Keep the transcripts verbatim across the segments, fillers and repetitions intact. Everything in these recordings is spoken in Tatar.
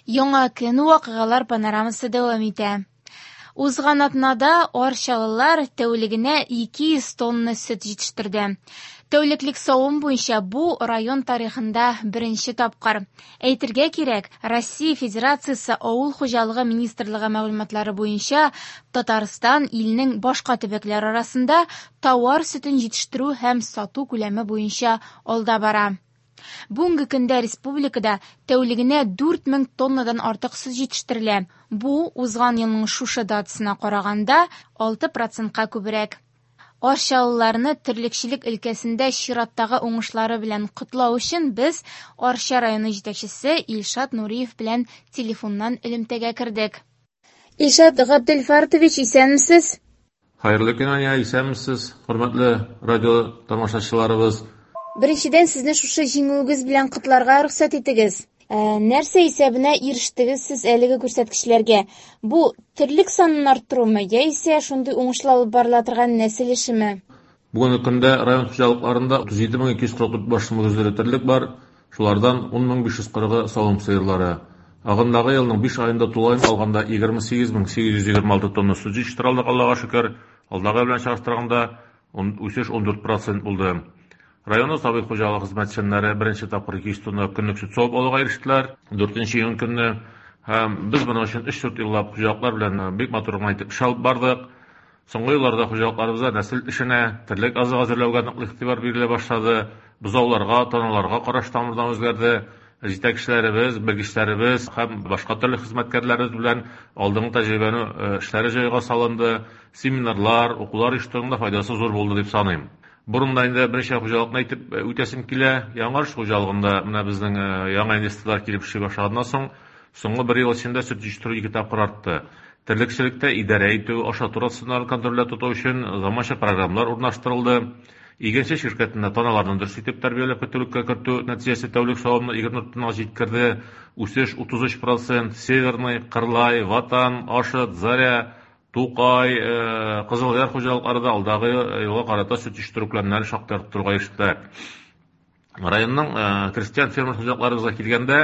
Яңа көн вакыйгалар панорамасы дәвам итә. Узган атнада арчалылар тәүлегенә ике йөз тонна сөт җитештерде. Тәүлеклек савым буенча бу район тарихында беренче тапкыр. Әйтергә кирәк, Россия Федерациясе Авыл хуҗалыгы министрлыгы мәгълүматлары буенча Татарстан илнең башка төбәкләре арасында товар сөтен җитештерү һәм сату күләме буенча алда бара. Бүгенге көндә республикада тәүлегенә дүрт мең тоннадан артык сөт җитештерелә. Бу узган елның шушы датасына караганда алты процентка күбрәк. Арчалыларны терлекчелек өлкәсендә чираттагы уңышлары белән котлау өчен без Арча районы җитәкчесе Илшат Нуриев белән телефоннан элемтәгә кердек. Илшат Габделфартович, исәнмесез? Хәерле көн, Ания, исәнмесез, хөрмәтле радио тамашачыларыбыз. Беренчедән, сезне шушы җиңүегез белән котларга рөхсәт итегез. Ә, нәрсә исәбенә ирештегез сез әлеге күрсәткечләргә? Бу терлек санын арттырумы, яисә шундый уңышлы алып барыла торган нәсел эшеме? Бүгенге көндә район хуҗалыкларында утыз җиде мең ике йөз кырык дүрт баш мөгезле терлек бар, шулардан ун мең биш йөз кырыгы савым сыерлары. Агымдагы елның биш аенда тулаем алганда егерме сигез мең сигез йөз егерме алты тонна сөт җитештерә алдык, Аллага шөкер. Алдагы белән чагыштырганда үсеш ун дүрт процент булды. Районның сабый хуҗалык хезмәтчәннәре беренче тапкыр ике йөз тонна көнлек сөт савып алуга ирештеләр. Дүртенче июнь көнне һәм без моның өчен өч-дүрт еллап хуҗалыклар белән бик матур гына итеп эш алып бардык. Соңгы елларда хуҗалыкларыбызда нәсел эшенә, терлек азыгы әзерләүгә ныклы игътибар бирелә башлады. Бозауларга, таналарга караш тамырдан үзгәрде. Җитәкчеләребез, белгечләребез һәм башка төрле хезмәткәрләребез белән алдынгы тәҗрибәне эшләре җайга салынды. Семинарлар, укулар оештыруның да файдасы зур булды дип саныйм. Борында инде берничә хуҗалыкны әйтеп үтәсем килә. Яңарыш хуҗалыгында менә безнең яңа инвесторлар килеп эшли башлаганнан соң, соңгы бер ел эчендә сөт җитештерү ике тапкыр артты. Терлекчелектә идарә итү, ашату рационнарын контрольдә тоту өчен заманча программалар урнаштырылды. Игенче ширкәтендә таналарны дөрес итеп тәрбияләп көтүлеккә кертү нәтиҗәсе тәүлек савымны егерме дүрт тоннага җиткерде. Үсеш утыз өч процент. Северный, Кырлай, Ватан, Ашыт, Заря, Тукай, Кызылъяр хуҗалыклары да алдагы елга карата сөт җитештерү күләмнәрен шактый арттыруга ирештеләр. Районның крестьян фермер хуҗалыкларыбызга килгәндә,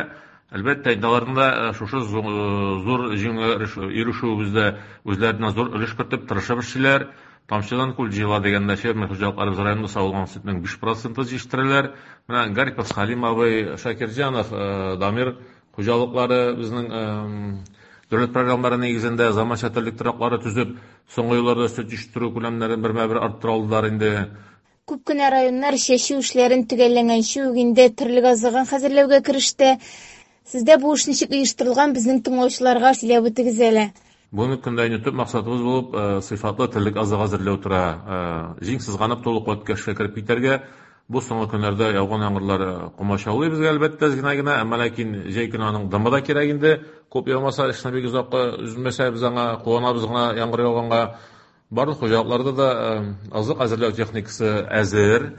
әлбәттә, инде аларның да шушы зур җиңүгә ирешүебездә үзләренә зур өлеш кертеп тырышып эшлиләр. Тамчыдан күл җыела дигәндә фермер хуҗалыкларыбыз районда савылган сөтнең биш проценты җитештерәләр. Менә Гарипов Халим абый, Шакирҗанов, Дамир хуҗалыклары безнең дәүләт программалары нигезендә заманча терлек тораклары төзеп, соңгы елларда сөт җитештерү күләмнәрен бермә-бер арттыра алдылар инде. Күп кенә районнар чәчү эшләрен төгәлләгәнче үк инде терлек азыгын хәзерләүгә кереште. Сездә бу эш ничек оештырылган, безнең тыңлаучыларга сөйләп үтегез әле. Бүгенге көндә инде төп максатыбыз булып, сыйфатлы терлек азыгы әзерләү тора. Җиң сызганып тулы куәткә эшкә кереп китәргә. Бу соңгы көннәрдә яуган яңгырлар комачаулый безгә әлбәттә әз генә генә, әмма ләкин җәй көне аның дымы да кирәк инде. Күп яумаса, эшне бик озакка өзмәсә, без аңа куанабыз гына яңгыр яуганга. Барлык хуҗалыкларда да азык әзерләү техникасы әзер.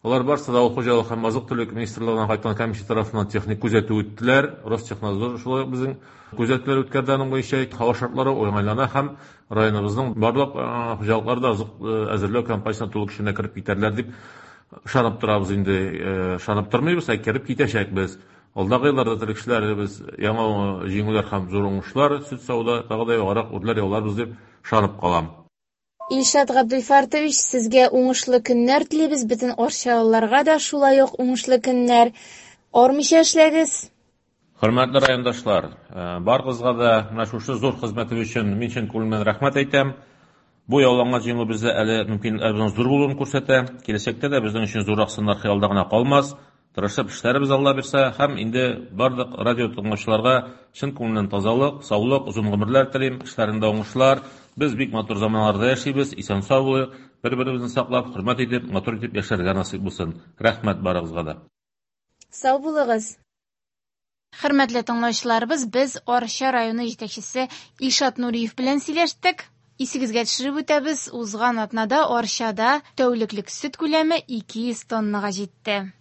Алар барысы да авыл хуҗалыгы һәм азык-төлек министрлыгыннан кайткан комиссия тарафыннан техник күзәтү үттеләр. Ростехнадзор шулай ук безнең күзәтүләр үткәрде аның буенча. Һава шартлары уңайлана һәм районыбызның барлык хуҗалыклары да азык әзерләү кампаниясенә тулы көченә кереп китәрләр дип ышанып торабыз инде. Ышанып тормыйбыз, ә кереп китәчәкбез. Алдагы елларда терлекчеләребез яңа җиңүләр һәм зур уңышлар, сөт сауда тагы да югарырак үрләр яуларбыз дип ышанып калам. Илшат Габделфартович, сезгә уңышлы көннәр телибез, бөтен арчалыларга да шулай ук уңышлы көннәр. Армыйча эшләгез. Хөрмәтле райондашлар, барыгызга да менә шушы зур хезмәтегез өчен мин чын күңелемнән рәхмәт әйтәм. Бу яуланган җиңү бездә әле мөмкинлекләребезнең зур булуын күрсәтә. Киләчәктә дә безнең өчен зуррак сыннар хыялда гына калмас. Тырышып эшләребез Алла бирсә, һәм инде барлык радио тыңлаучыларга чын күңелдән тазалык, саулык, озын гомерләр телим, эшләрендә уңышлар. Без бик матур заманаларда яшибез, исән-сау булыйк, бер-беребезне саклап, хөрмәт итеп, матур итеп яшәргә насыйп булсын. Рәхмәт барыгызга да. Сау булыгыз. Хөрмәтле тыңлаучыларыбыз, без Арча районы җитәкчесе Илшат Нуриев белән сөйләштек. Исегезгә төшереп үтәбез, узган атнада Арчада тәүлеклек сөт күләме ике йөз тоннага җитте.